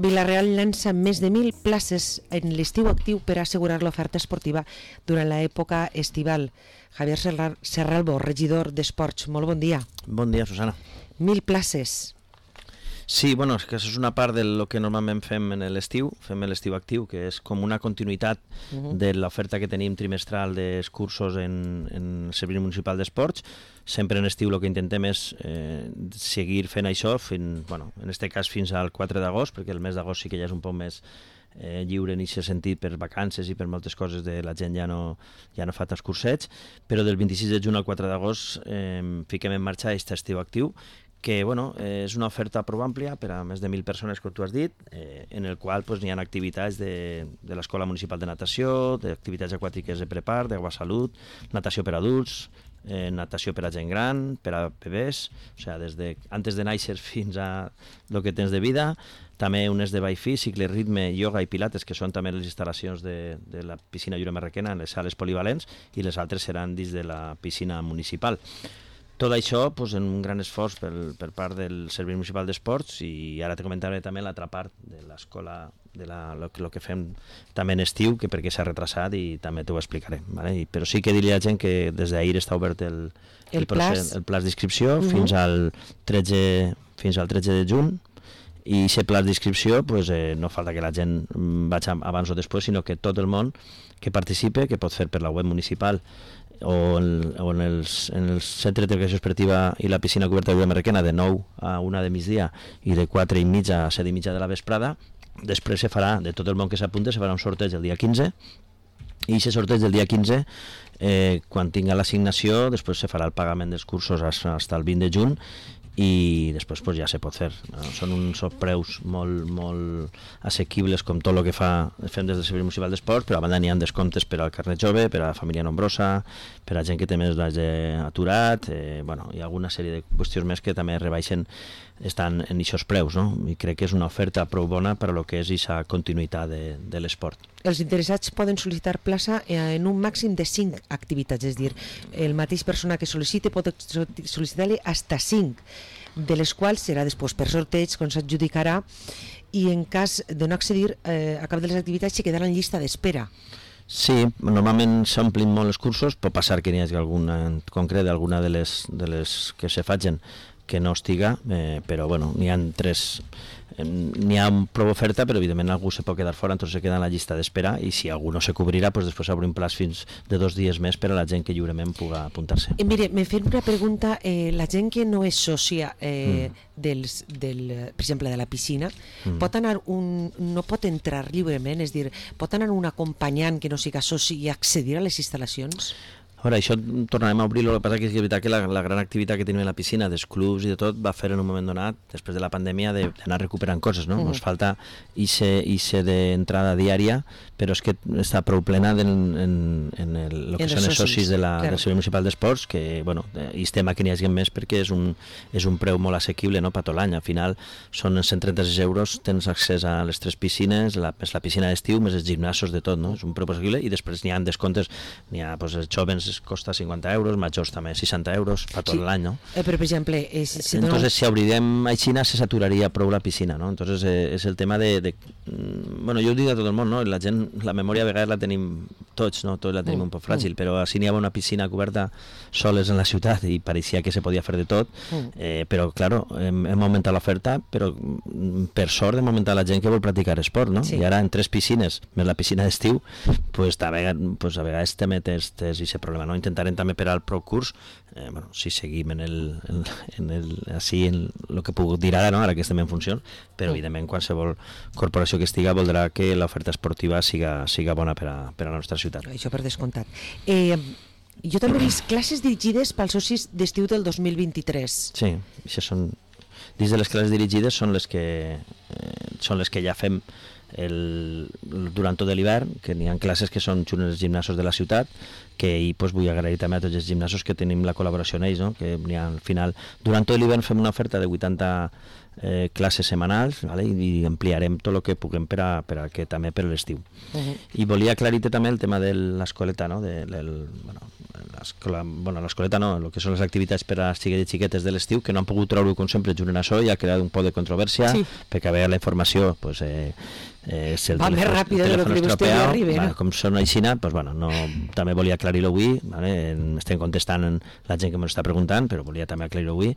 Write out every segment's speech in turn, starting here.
Vila-real llança més de 1.000 places en l'estiu actiu per assegurar l'oferta esportiva durant l'època estival. Javier Serralbo, regidor d'Esports, molt bon dia. Bon dia, Susana. 1.000 places. Sí, bueno, és que això és una part del que normalment fem en l'estiu, fem l'estiu actiu, que és com una continuïtat de l'oferta que tenim trimestral dels cursos en el Servei Municipal d'Esports. Sempre en estiu el que intentem és seguir fent això, en aquest cas fins al 4 d'agost, perquè el mes d'agost sí que ja és un poc més lliure en aquest sentit per vacances i per moltes coses de la gent ja no fa tants cursets, però del 26 de juny al 4 d'agost fiquem en marxa aquest estiu actiu, que és una oferta prou àmplia per a més de 1.000 persones, com tu has dit, en el qual hi ha activitats de l'Escola Municipal de Natació, d'activitats aquàtiques de prepar, d'Agua Salut, natació per adults, natació per a gent gran, per a bebès, o sigui, des de antes de néixer fins a el que tens de vida, també unes de ball físic, ritme, ioga i pilates, que són també les instal·lacions de la piscina Lliure Marraquena en les sales polivalents, i les altres seran dins de la piscina municipal. Tot això en un gran esforç per part del Servei Municipal d'Esports, i ara te comentaré també l'altra part de l'escola, el que fem també en estiu, que perquè s'ha retrasat i també t'ho explicaré. ¿vale? Però sí que diré a la gent que des d'ahir està obert el plaç d'inscripció fins al 13 de juny, i aquest plaç d'inscripció no falta que la gent vagi abans o després, sinó que tot el món que participe, que pot fer per la web municipal o en el centre d'educació esportiva i la piscina coberta de Lliure Marraquena de 9 a 1 de migdia i de 4 i mitja a 7 i mitja de la vesprada. Després se farà, de tot el món que s'apunta, se farà un sorteig el dia 15, i aquest sorteig del dia 15, quan tinga l'assignació, després se farà el pagament dels cursos fins al 20 de juny, i després ja se pot fer. Són uns preus molt assequibles, com tot el que fem des del Servei Municipal d'Esports, però a banda n'hi ha descomptes per al carnet jove, per a la família nombrosa, per a gent que té més d'hagi aturat, hi ha alguna sèrie de qüestions més que també rebaixen, estan en aquests preus, no? I crec que és una oferta prou bona per a lo que és aquesta continuïtat de l'esport. Els interessats poden sol·licitar plaça en un màxim de 5 activitats, és a dir, el mateix persona que sol·licite pot sol·licitar-li fins a 5, de les quals serà després per sorteig, com s'adjudicarà, i en cas de no accedir a cap de les activitats se quedarà en llista d'espera. Sí, normalment s'omplin molt els cursos, pot passar que n'hi hagi alguna en concret, alguna de les que se facin que no estiga, però n'hi ha 3, n'hi ha prou oferta, però evidentment algú se pot quedar fora, entonces se queda en la llista d'espera, i si algú no se cobrirà, després obrim plaç fins de 2 dies més per a la gent que lliurement pugui apuntar-se. Mire, me fem una pregunta, la gent que no és sòcia per exemple, de la piscina, no pot entrar lliurement, és a dir, pot anar un acompanyant que no siga soci i accedir a les instal·lacions? A veure, això tornarem a obrir-lo, el que passa que és veritat que la gran activitat que tenim a la piscina, dels clubs i de tot, va fer en un moment donat, després de la pandèmia, d'anar recuperant coses, no? Nos falta ixe d'entrada diària, però és que està prou plena en el que són els socis del Servei Municipal d'Esports, que, i estem a que n'hi hagi més perquè és un preu molt assequible, no?, per tot l'any. Al final són 136 euros, tens accés a les 3 piscines, la piscina d'estiu, més els gimnasos de tot, no? És un preu assequible, i després n'hi ha descomptes, n'hi ha els jovens costa 50 euros, majors també 60 euros per tot l'any, no? Però, per exemple... Entonces, si obrirem a Xina, se saturaria prou la piscina, no? Entonces, és el tema de... Bueno, jo ho dic a tot el món, no? La gent, la memòria a vegades la tenim tots, no? Tots la tenim un poc fràgil, però si n'hi havia una piscina coberta soles en la ciutat i pareixia que se podia fer de tot, però, claro, hem augmentat l'oferta, però per sort hem augmentat la gent que vol practicar esport, no? I ara en 3 piscines, més la piscina d'estiu, a vegades també tens aquest problema. No? Intentarem també per al procurs, si seguim en el que puc dir ara, no? Ara que estem en funció, però evidentment qualsevol corporació que estiga voldrà que l'oferta esportiva siga bona per a la nostra ciutat. Això per descomptat. Jo també he vist classes dirigides pels socis d'estiu del 2023. Sí, això són... Dins de les classes dirigides són les que ja fem durant tot l'hivern, que n'hi ha classes que són en els gimnasos de la ciutat, que ahir pues, vull agrair també a tots els gimnasos que tenim la col·laboració en ells, no? Que al final, durant tot l'hivern fem una oferta de 80 classes setmanals, vale? I ampliarem tot el que puguem per a que també per l'estiu. I volia aclarir-te també el tema de l'escoleta, no? L'escoleta no, el que són les activitats per a xiquets i xiquetes de l'estiu, que no han pogut treure com sempre junt en això i ha creat un poc de controvèrsia, perquè a veure la informació pues, va més ràpid de lo que vostè li arriba, no? Com són aixina, pues, bueno, no, també volia aclarir-ho avui, vale? Estem contestant la gent que m'ho està preguntant, però volia també aclarir-ho avui.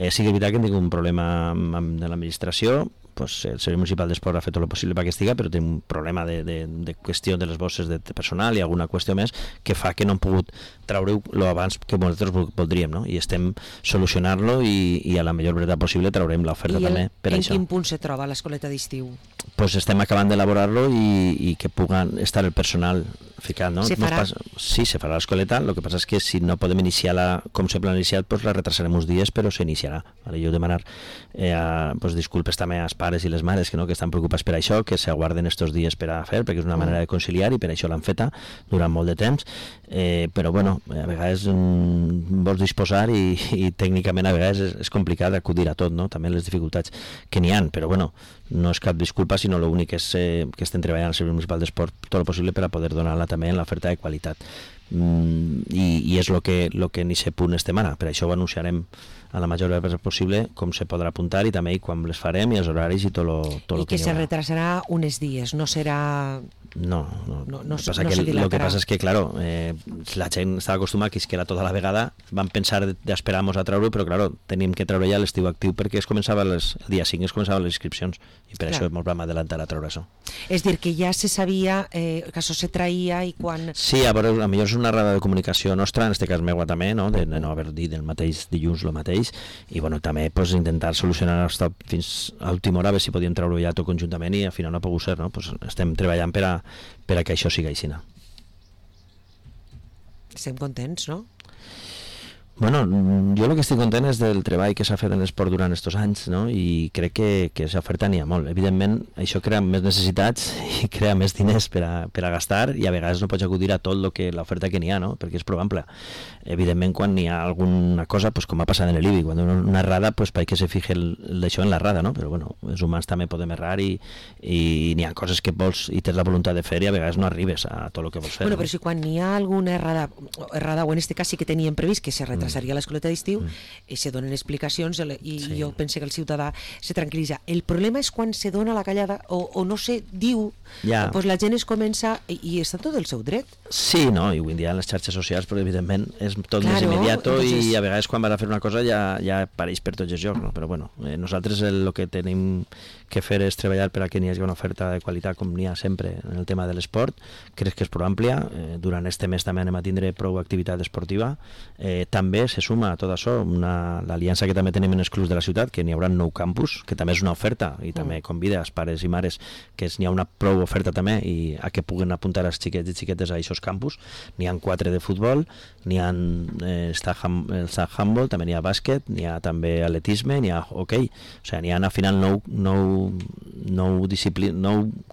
Sí que és veritat que hem tingut un problema de l'administració, pues, el Servei Municipal d'Esport ha fet tot el possible perquè estiga, però té un problema de qüestió de les bosses de personal i alguna qüestió més que fa que no hem pogut treure-ho abans que nosaltres voldríem, no? I estem solucionant-lo i a la millor brevetat possible traurem l'oferta també per això. I en quin punt se troba l'escoleta d'estiu? Pues estem acabant d'elaborar-lo i que puguin estar el personal ficat, no? Se farà? Sí, se farà l'escoleta, el que passa és que si no podem iniciar-la com sempre l'hem iniciat, pues la retrasarem uns dies, però s'iniciarà. Vale? Jo demanar pues, disculpes també als pares i les mares que estan preocupats per això, que s'aguarden estos dies per a fer, perquè és una manera de conciliar i per això l'han feta durant molt de temps, però bueno, a vegades vols disposar i tècnicament a vegades és complicat acudir a tot, no? També les dificultats que n'hi ha, però bueno, no és cap disculpa, sinó l'únic és que estem treballant al Servei Municipal d'Esport tot el possible per a poder donar-la també en l'oferta de qualitat. I és el que en aquest punt estem ara. Per això ho anunciarem a la major brevetat possible, com se podrà apuntar i també quan les farem i els horaris i tot el que se retrasarà uns dies, no serà... No el que passa és que, claro, la gent estava acostumada que era tota la vegada, van pensar d'esperar-nos a treure-ho, però, claro, tenim que treure ja l'estiu actiu perquè el dia 5 es començaven les inscripcions i per això ens vam adelantar a treure això. És dir, que ja se sabia que això se traïa i quan... Sí, a veure, potser és una errada de comunicació nostra, en aquest cas meua també, no? De no haver dit el mateix dilluns el mateix, i bueno, també pues, intentar solucionar fins a última hora, a veure si podíem treure ja tot conjuntament i al final no ha pogut ser, no? Pues estem treballant per a que això sigui així. Estem contents, no? Bueno, jo el que estic content és del treball que s'ha fet en l'esport durant aquests anys, no? I crec que s'oferta n'hi ha molt. Evidentment, això crea més necessitats i crea més diners per a gastar i a vegades no pots acudir a tot l'oferta que n'hi ha, no? Perquè és prou ampla. Evidentment, quan n'hi ha alguna cosa, pues, com ha passat en l'IBI, quan hi ha una errada, pues, perquè se fije d'això en l'errada, no? Però bueno, els humans també podem errar i n'hi ha coses que vols i tens la voluntat de fer i a vegades no arribes a tot el que vols fer. Bueno, però si quan n'hi ha alguna errada, o en aquest cas sí que teníem previst que se retrasaria l'escoleta d'estiu, se donen explicacions i jo penso que el ciutadà se tranquil·litza. El problema és quan se dona la callada o no se diu, doncs la gent es comença i està tot el seu dret. Sí, no, i avui en dia en les xarxes socials, però evidentment és tot més immediato i a vegades quan vas a fer una cosa ja apareix per tots els llocs, no? Però bueno, nosaltres el que tenim que fer és treballar per a que n'hi hagi una oferta de qualitat com n'hi ha sempre en el tema de l'esport. Crec que és prou àmplia. Durant este mes també anem a tindre prou activitat esportiva. També se suma a tot això l'aliança que també tenim en els clubs de la ciutat, que n'hi haurà 9 campus, que també és una oferta i també convida als pares i mares que n'hi ha una prou oferta també i a que puguen apuntar els xiquets i xiquetes a aquests campus. N'hi ha 4 de futbol, n'hi ha el handball, també n'hi ha bàsquet, n'hi ha també atletisme, n'hi ha hoquei. O sigui, n'hi ha al final 9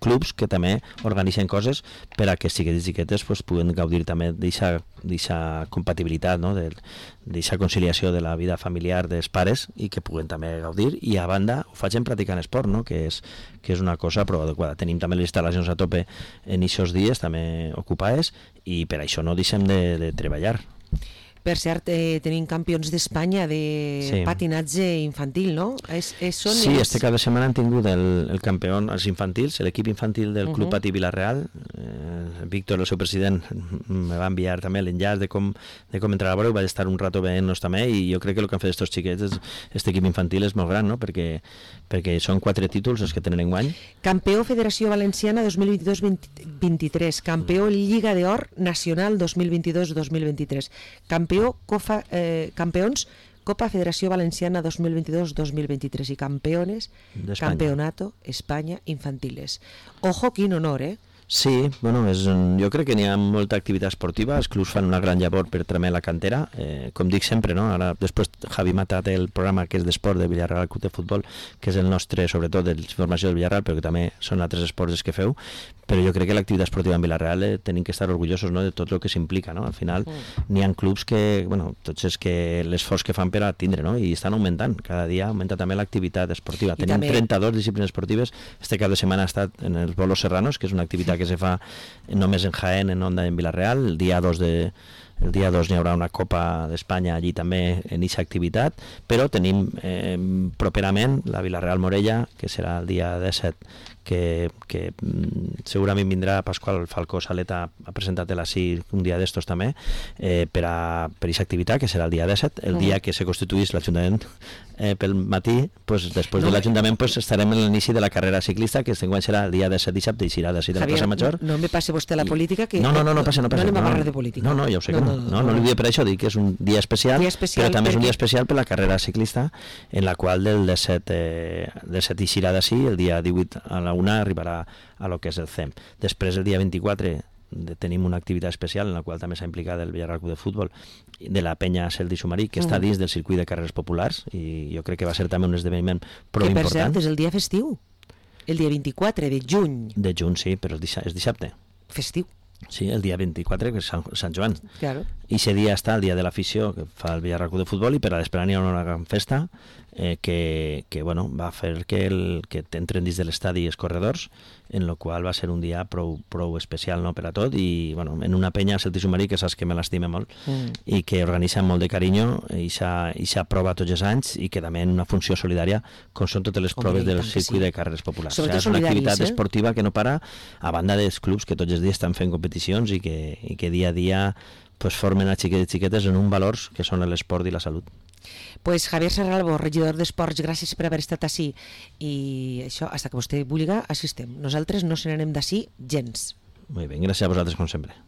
clubs que també organitzen coses per a que xiquets i xiquetes pues, puguen gaudir també d'aquesta compatibilitat, no? D'aquesta conciliació de la vida familiar dels pares i que puguen també gaudir i a banda ho facin practicant esport, no? que és una cosa prou adequada. Tenim també les instal·lacions a tope en aquests dies també ocupades i per això no deixem de treballar. Per cert, tenim campions d'Espanya de patinatge infantil, no? Sí, este cap de setmana han tingut el campió, els infantils, l'equip infantil del Club Patí Vila-real. Víctor, el seu president, me va enviar també l'enllaç de com entrar a veure, vaig estar un rato veient-nos també i jo crec que el que han fet estos xiquets, aquest equip infantil és molt gran, no? Perquè són 4 títols els que tenen enguany. Campió Federació Valenciana 2022-23, campió Lliga d'Or Nacional 2022-2023, campeons Copa Federació Valenciana 2022-2023 y campeones Campeonato España Infantiles. Ojo, quin honor, Sí, bueno, jo crec que n'hi ha molta activitat esportiva, els clubs fan una gran llavor per tremer la cantera, com dic sempre, no? Ara, després Javi Mata té el programa que és d'esport de Villarreal Club de Futbol, que és el nostre, sobretot, d'informació del Villarreal, però que també són altres esports que feu, però jo crec que l'activitat esportiva en Villarreal tenim que estar orgullosos, no?, de tot el que s'implica, no? Al final n'hi ha clubs que, bueno, tots és que l'esforç que fan per a tindre, no?, i estan augmentant, cada dia augmenta també l'activitat esportiva. Tenim també 32 disciplines esportives, este cap de setmana ha estat en els bolos serranos, que és una activitat que se fa només en Jaén, en Onda, en Villarreal. El dia 2 n'hi haurà una Copa d'Espanya allí també en aquesta activitat, però tenim properament la Villarreal Morella, que serà el dia 17, que segurament vindrà Pasqual Falcó Saleta, ha presentat l'ací un dia d'estos també, per aquesta activitat, que serà el dia 17, el dia que se constituís l'Ajuntament pel matí, pues, després de l'Ajuntament pues, estarem en l'inici de la carrera ciclista, que enguany serà el dia 17 dissabte i serà d'ací de la plaça Major. No me passe vostè la política, que no passa. No anem a parlar de política. No, ja ho sé que no li diré per això, dic que és un dia especial, però també és un dia especial per la carrera ciclista, en la qual del 17 i serà d'ací, el dia 18 a la 1 arribarà a lo que és el CEM. Després, el dia 24, tenim una activitat especial en la qual també s'ha implicat el Villarreal Club de Futbol de la penya Celdi Sumarí, que està dins del circuit de carreres populars, i jo crec que va ser també un esdeveniment prou important. Que, per cert, és el dia festiu, el dia 24 de juny. De juny, sí, però és dissabte. Festiu. Sí, el dia 24, que és Sant Joan. Claro. I aquest dia està el dia de l'afició que fa el Villarreal Club de Futbol, i per a l'esperar hi ha una gran festa que bueno, va fer que entren dins de l'estadi els corredors, en la qual va ser un dia prou especial, no?, per a tot, i bueno, en una penya Celti Sumarí, que saps que me l'estime molt, i que organitza amb molt de carinyo, i s'ha prova tots els anys, i que també en una funció solidària, com són totes les proves del circuit de carreres populars. Sobretot és una activitat esportiva que no para, a banda dels clubs que tots els dies estan fent competicions i que dia a dia pues, formen a xiquets i xiquetes en un valors que són l'esport i la salut. Pues Javier Serralbo, regidor d'Esports, gràcies per haver estat ací, i això, hasta que vostè vulgui, assistem. Nosaltres no se n'anem d'ací gens. Molt bé, gràcies a vosaltres com sempre.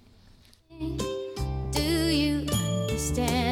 Do you understand?